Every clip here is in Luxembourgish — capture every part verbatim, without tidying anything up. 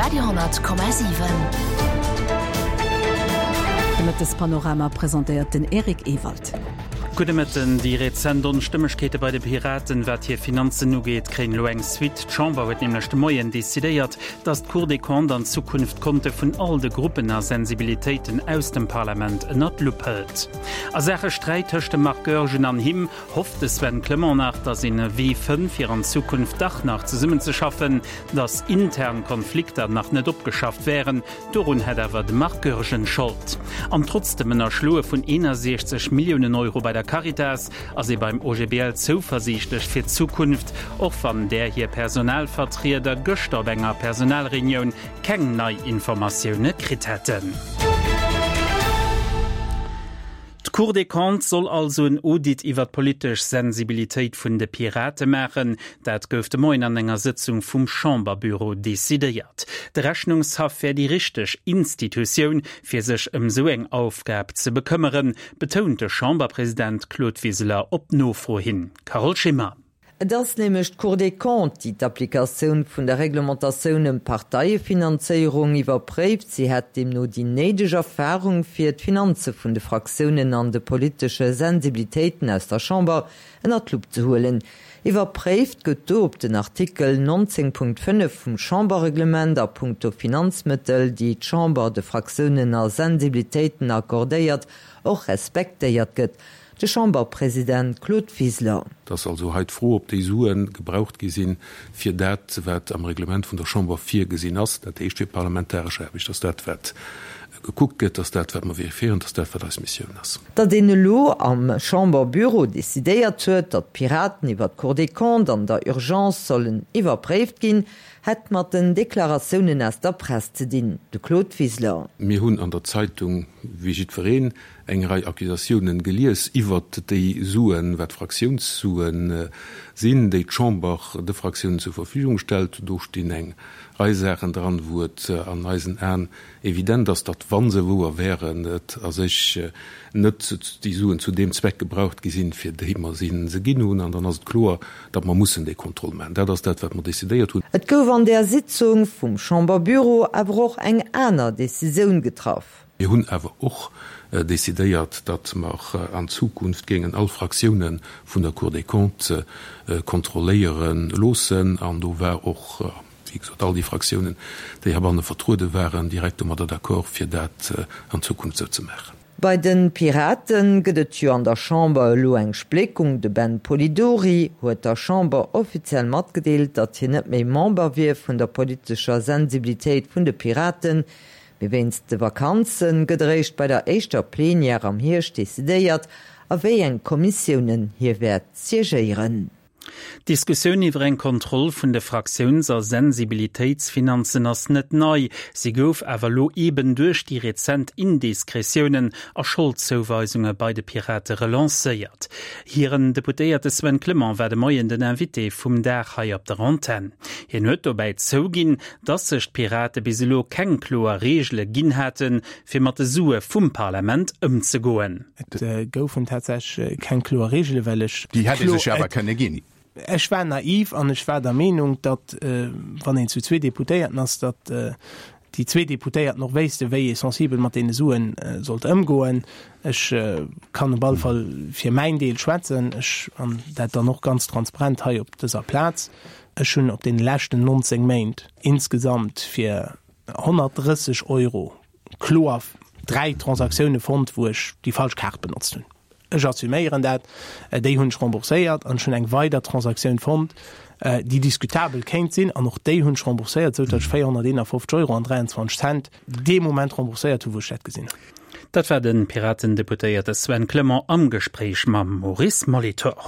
Radio honnert Komma siwen. De Mëttespanorama presentéiert den Eric Ewald. Gudde Mëtten. Déi rezent Onstëmmegkeete bei de Piraten, wat hir Finanzen ugeet, kréien elo eng Suite. D'Chamber huet nämlech de Moien decidéiert, datt d'Cour des Comptes an Zukunft d'Konte vun all de Gruppen a Sensibilitéiten aus dem Parlament ënnert d'Lupp hëlt. A Saache Sträit tëscht dem Marc Goergen an him hofft de Sven Clement nach, datt een e Wee fënnt, fir an Zukunft dach nach zesummenzeschaffen. Datt intern Konflikter nach net opgeschafft wären, dorun hätt awer de Marc Goergen Schold. An trotz dem Ënnerschloe vun eenasechzeg Milliounen Euro bei der Caritas ass ee beim O G B L zouversiichtlech fir d'Zukunft, och wann där hir Personalvertrieder gëschter op enger Personalreunioun keng nei Informatioune kritt hätten. D'Cour des Comptes soll also en Audit iwwer d'politesch Sensibilitéit vun de Pirate maachen. Dat gouf de Moien an enger Sëtzung vum Chamberbüro decidéiert. De Rechnungshaff wär déi richteg Institutioun, fir sech ëm sou eng Aufgab ze bekëmmeren, betount de Chamberpresident Claude Wiseler op Nofro hin. Carole Schimmer. Et ass nämlech d'Cour des Comptes, déi d'Applikatioun vun der Reglementatioun ëm d'Parteiefinanzéierung iwwerpréift. Si hätt deemno déi néideg Erfarung, fir d'Finanze vun de Fraktiounen an de politesche Sensibilitéiten aus der Chamber ënner d'Lupp ze huelen. Iwwerpréift gëtt do, ob den Artikel nonzéng Punkt fënnef vum Chamberreglement a punkto Finanzmëttel, déi d'Chamber de Fraktiounen a Sensibilitéiten accordéiert, och respektéiert gëtt. De Chamberpresident Claude Wiseler. Et ass also hei d'Fro, ob déi Sue gebraucht gi sinn, fir dat, wat am Reglement vun der Chamber virgesinn ass, dat heescht fir parlamentaresch Aarbecht. Dat ass dat, wat gekuckt gëtt, dat ass dat, wat mer vérifiéieren, dat ass dat, wat eis Missioun ass. Datt een elo am Chamberbüro decidéiert huet, datt d'Piraten iwwer d'Cour des Comptes an der Urgence sollen iwwerpréift ginn, hätt mat den Deklaratiounen aus der Press ze dinn. De Claude Wiseler. Mir hunn an der Zeitung, wéi jiddwereen, eng Rei Accusatiounen gelies iwwert déi Suen, wat Fraktiounssuen sinn, déi d'Chamber de Fraktiounen zur Verfügung stellt. Do stinn eng Rei Saachen dran, wou et an eisen Aen evident ass, datt, wa se wouer wären, et a sech net déi Suen zu deem Zweck gebraucht gi sinn, fir déi mer si se ginn hunn. An dann ass et kloer, datt mer mussen dee Contrôle maachen. Dat ass dat, wat mer decidéiert hunn. Et gouf an där Sitzung vum Chamberbüro awer och eng aner Decisioun getraff. Mir hunn awer och decidéiert, datt mer an Zukunft géingen all Fraktioune vun der Cour des Comptes kontrolléiere loossen. An do war och, wéi gesot, all déi Fraktiounen, déi heibanne vertruede waren, direkt domadder d'accord, fir dat an Zukunft esou ze maachen. Bei de Pirate gëtt et jo an der Chamber elo eng Spléckung. De Ben Polidori huet der Chamber offiziell matgedeelt, datt hien net méi Member wier vun der politescher Sensibilitéit vun de Piraten. Mee wéinst de Vakanze gëtt eréischt bei der éischter Plenière am Hierscht decidéiert, a wéi eng Kommissiounen hie wäert siegéieren. D'Diskussioun iwwer eng Kontroll vun de Fraktiouns a Sensibilitéitsfinanzen ass net nei. Si gouf awer elo eben duerch déi rezent Indiskretiounen a Scholdzouweisunge bei de Pirate relancéiert. Hiren Deputéierte Sven Clement war de Moien den Invité vum Dag hei op der Antenn. Hien huet dobäi zouginn, datt sech d'Pirate bis elo keng kloer Reegele ginn haten, fir mat de Sue vum Parlament ëmzegoen. Et goufen tatsächlech keng kloer Reegele, well ech. Déi hätt ee sech jo awer kënne ginn. Ech war naiv an ech war der Meenung, datt, wann een zu zwee Deputéierten ass, datt déi zwee Deputéierten och wéisste wéi ee sensibel mat deene Suen sollt ëmgoen. Ech kann op alle Fall fir mäin Deel schwätzen, ech, an dat dann och ganz transparent hei op dëser Plaz, ech hunn op deene leschten nonzéng Méint insgesamt fir honnertdrësseg Euro kloer dräi Transaktioune fonnt, wou ech déi falsch Kaart benotzt hunn. Ech assuméieren dat. Déi hunn ech rembourséiert an ech hunn eng weider Transaktioun fonnt, déi diskutabel kéint sinn, an och déi hunn ech rembourséiert, esou datt ech véierhonnerteenafofzeg Euro an dräianzwanzeg Cent dee Moment rembourséiert hunn, wou ech dat gesinn hunn. Dat war de Piraten-Deputéierte Sven Clement am Gespréich mam Maurice Molitor.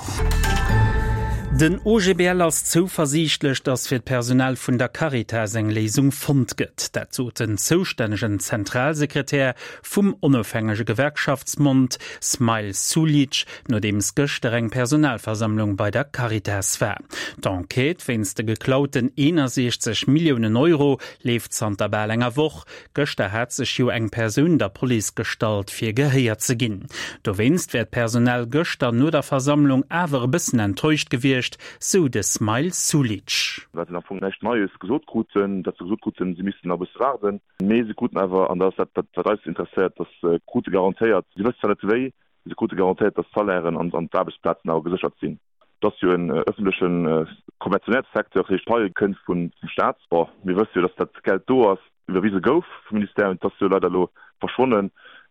Den O G B L ass zouversiichtlech, datt fir d'Personal vun der Caritas eng Léisung fonnt gëtt. Dat sot den zoustännegen Zentralsekretär vum onofhängege Gewerkschaftsbond Smail Suljic, nodeems gëschter eng Personalversammlung bei der Caritas war. D'Enquête wéinst de geklauten eenasechzeg Milliounen Euro leeft zanter bal enger Woch. Gëschter hat sech jo eng Persoun der Police gestallt, fir gehéiert ze ginn. Dowéinst wär d'Personal gëschter no der Versammlung awer e bëssen enttäuscht gewiescht, gewiescht, sou de Smile Sulic. Well se am Fong näischt Neies gesot kruten, datt se gesot kruten, si missten nach e bësse waarden. Mee se kruten awer, an dat ass dat, wat eis interesséiert, datt se krute garantéiert, si wëssen zwar net wéi, mee se krute garantéiert, datt d'Salairen an d'Aarbechtsplazen awer geséchert sinn. Et ass jo en ëffentlechen Konventionätssecteur, dat heescht d'Pai kënnt vum Staat. Bon, mir wësse jo, datt dat Geld do ass, iwwerwise gouf vum Ministère, et ass jo leider elo verschwonnen.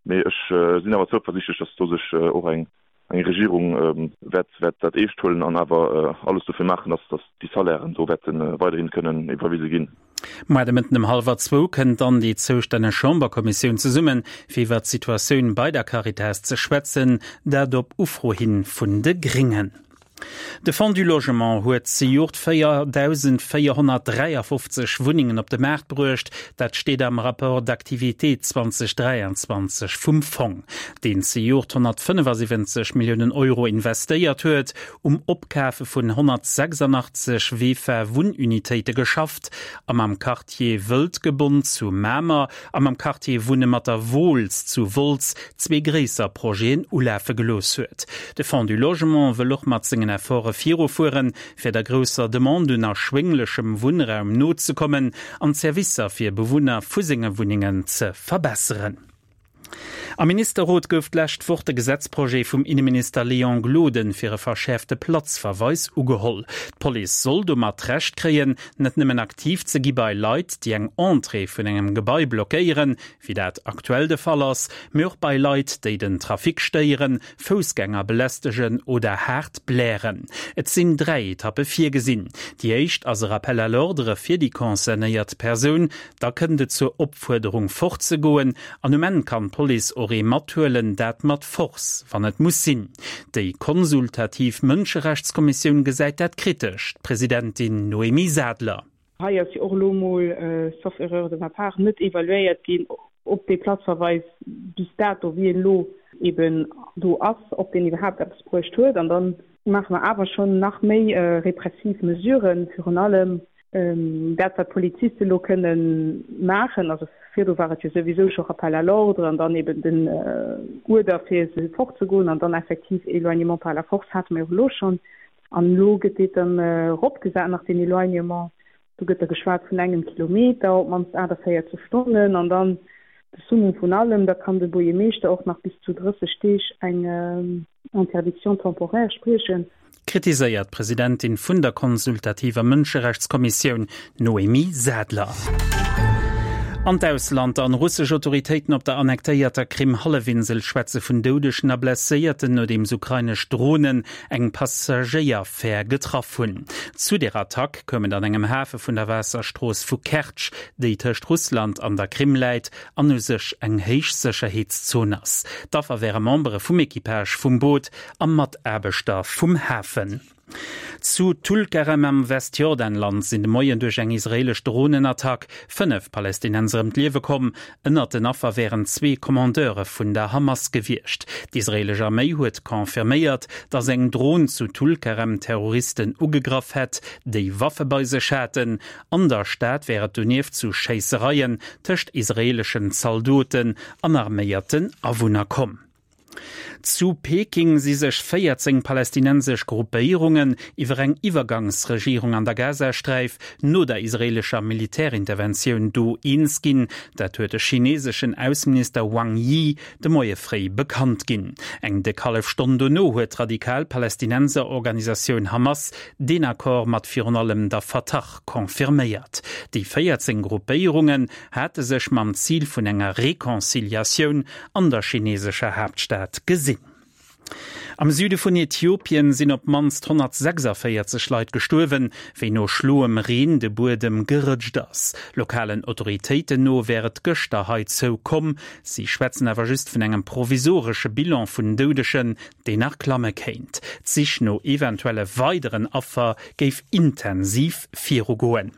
Mee ech sinn awer zouversiichtlech, datt do sech och eng Regierung wäert dat eescht huelen an awer alles dofir maachen, datt déi Salairen do wäerte weiderhi kënnen iwwerwise ginn. Muer de Mëtten ëm hallwer zwou kënnt dann déi zoustänneg Chamberkommissioun zesummen, fir iwwer d'Situatioun bei der Caritas ze schwätzen, dat op Ufro hin vun de Gréngen. De Fonds du Logement huet zejoert véierdausendvéierhonnertdräiafofzeg Wunnengen op de Maart bruecht. Dat steet am Rapport d'activité zweitausenddräiandzwanzeg vum Fong, deen zejoert honnertfënnefasiwwenzeg Milliounen Euro investéiert huet, um Opkafe vun honnertsechsandachtzeg VEFA-Wunnunitéite geschafft a mam Quartier Wëldgebond zu Mamer a mam Quartier Wunne mat der Wooltz zu Wolz zwee gréisser Projeten ulafe gelooss huet. De Fonds du Logement wëll och mat sengen Efforte virufueren, fir der grousser Demande un erschwénglechem Wunnraum nozekommen an d'Servicer fir Bewunner vu senge Wunnengen ze verbesseren. Am Ministerrot gouf d'lescht Woch de Gesetzprojet vum Inneminister Léon Gloden fir e verschäerfte Platzverweis ugeholl. D'Police soll domat d'Recht kréien, net nëmmen aktiv ze gi bei Leit, déi eng Entrée vun engem Gebai blockéieren, wéi dat aktuell de Fall ass, mee och bei Leit, déi den Trafic stéieren, Foussgänger belästegen oder haart blären. Et sinn dräi Etappe virgesinn. Déi éischt ass e Rappel à l'ordre fir déi concernéiert Persoun, da kënnt et zur Opfuerderung fortzegoen an um Enn kann d'Police och ee mathuelen, dat mat Force, wann et muss sinn. Déi konsultativ Mënscherechtskommissioun gesäit dat kritesch, d'Presidentin Noémie Sadler. Hei ass jo och elo emol, sauf erreur de ma part, net evaluéiert ginn, ob dee Platzverweis bis dato, wéi en elo eben do ass, ob deen iwwerhaapt eppes bruecht huet. An da maache mer awer schonn nach méi repressiv Mesuren, virun allem Dat, wat d'Poliziste elo kënne maachen, also virdu war et jo souwisou scho Rappel à l'ordre an dann eben den Uerder, fir se fortzegoen an dann effektiv Éloignement par la force hate mer jo elo schonn. An elo gëtt dee dann eropgesat nach, deen Éloignement. Do gëtt da geschwat vun engem Kilometer, op d'mannst achtundvierzig Stonnen an dann de Summum vun allem, da kann de Buergermeeschter och nach bis zu drësseg Deeg eng Interdiction temporaire spriechen. Kritiséiert d'Presidentin vun der konsultativer Mënscherechtskommissioun Noémie Sadler. An d'Ausland an Russesch Autoritéiten op der annektéierter Krim-Hallefinsel schwätze vun Doudegen a Blesséierten, nodeems ukrainesch Dronen eng Passagéierfär getraff hunn. Zu der Attack koum et an engem Hafe vun der Waasserstrooss vu Kertsch, déi tëscht Russland an der Krim läit an u sech eng Héichsécherheetszon ass. D'Affer wäre Membere vum Equipage vum Boot a Mataarbechter vum Hafen. Zu Tulkarem am Westjordanland sinn de Moien duerch eng israeelesch Dronenattack fënnef Palästinenser ëm d'Liewe komm. Ënnert den Affer wären zwee Commandeure vun der Hamas gewiescht. D'israeelesch Arméi huet confirméiert, datt eng Dron zu Tulkarem Terroristen ugegraff hätt, déi Waffe bei sech haten. An der Stad wär et donieft zu Schéissereien tëscht israeeleschen Zaldoten an arméierten Awunner komm. Zu Peking si sech véierzéng palästinensesch Gruppéierungen iwwer eng Iwwergangsregierung an der Gazasträif no der israeelescher Militärinterventioun do eens ginn. Dat huet de chineseschen Ausseminister Wang Yi de Moie fréi bekannt ginn. Eng déck hallef Stonn dono huet d'radikal Palästinenserorganisatioun Hamas deen Accord mat virun allem der Fatah confirméiert. Déi véierzéng Gruppéierungen hate sech mam Zil vun enger Reconciliatioun an der chinesescher Haaptstad gesinn. Am Süde vun Äthiopien sinn op d'mannst honnertsechsundvéierzeg Leit gestuerwen, wéi no schloem Reen de Buedem gerëtscht ass. Lokalen Autoritéiten no wär et gëschter heizou komm. Si schwätzen awer just vun engem provisoresche Bilan vun Doudegen, deen nach klamme kéint. D'Sich no eventuelle weideren Affer géif intensiv virugoen.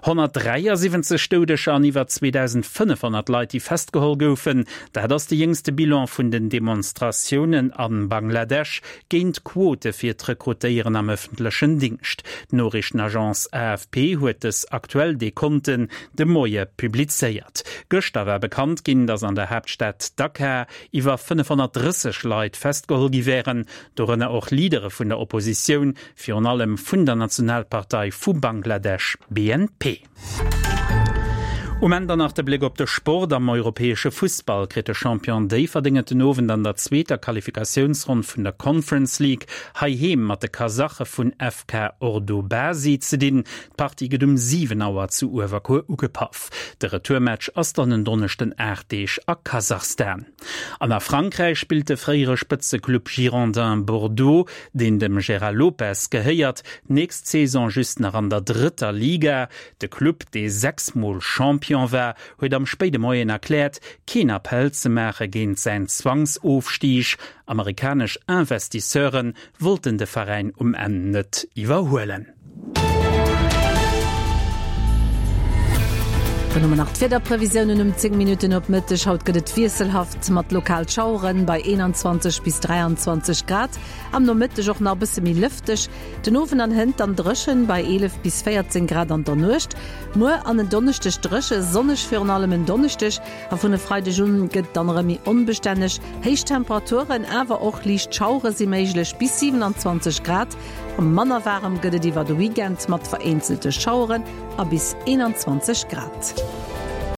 Honnertdräiasiwwenzeg Doudeger an iwwer zweedausendfënnefhonnert Leit, déi festgeholl goufen, dat ass de jéngste Bilan vun den Demonstratiounen a Bangladesch géint Quote fir d'Rekrutéieren am ëffentlechen Dingscht. D'Noriichtenagence A F P huet dës aktuell Dekonten de Moie publizéiert. Gëschter war bekannt ginn, datt an der Haaptstad Dhaka iwwer fënnefhonnertdrësseg Leit festgeholl gi wären, dorënner och Leadere vun der Oppositioun, virun allem vun der Nationalpartei vu Bangladesch, B N P. Um Enn dann nach de Bléck op de Sport. Am europäesche Fussball kritt de Champion Déifferdeng et den Owend an der zweeter Qualifikatiounsronn vun der Conference League heiheem mat de Kasache vun F K Ordobasi ze dinn. D'Partie gëtt um siwen Auer zu Uewerkuer ugepaff. De Retourmatch ass dann en Donneschden aacht Deeg a Kasachstan. An a Frankräich spillt de fréiere Spëtzeclub Girondins Bordeaux, deen dem Gérard Lopez gehéiert, d'nächst Saison just nach an der drëtter Liga. De Club, dee sechs Mol Champion war, huet am spéide Moien erkläert, keen Appell ze maache géint säin Zwangsofstig. Amerikanesch Investisseure wollten de Veräin um Enn net iwwerhuelen. Dann hu mer nach d'Wiederprevisiounen um zéng Minutten op Mëtteg. Haut gëtt et wiesselhaft mat lokal Schaueren bei eenanzwanzeg bis dräianzwanzeg Grad. Am Nomëtteg och nach e bësse méi lëfteg. Den Owend an hënt dann dréchen bei eelef bis véierzéng Grad an der Nuecht. Muer an en Donneschdeg dréche, sonneg, virun allem en Donneschdeg a vun e Freideg un gëtt et dann erëm méi onbestänneg. Héich Temperaturen, awer och liicht Schauere si méiglech, bis siewenanzwanzeg Grad. Manner waarem gëtt et iwwer de Weekend mat vereenzelte Schaueren a bis eenanzwanzeg Grad.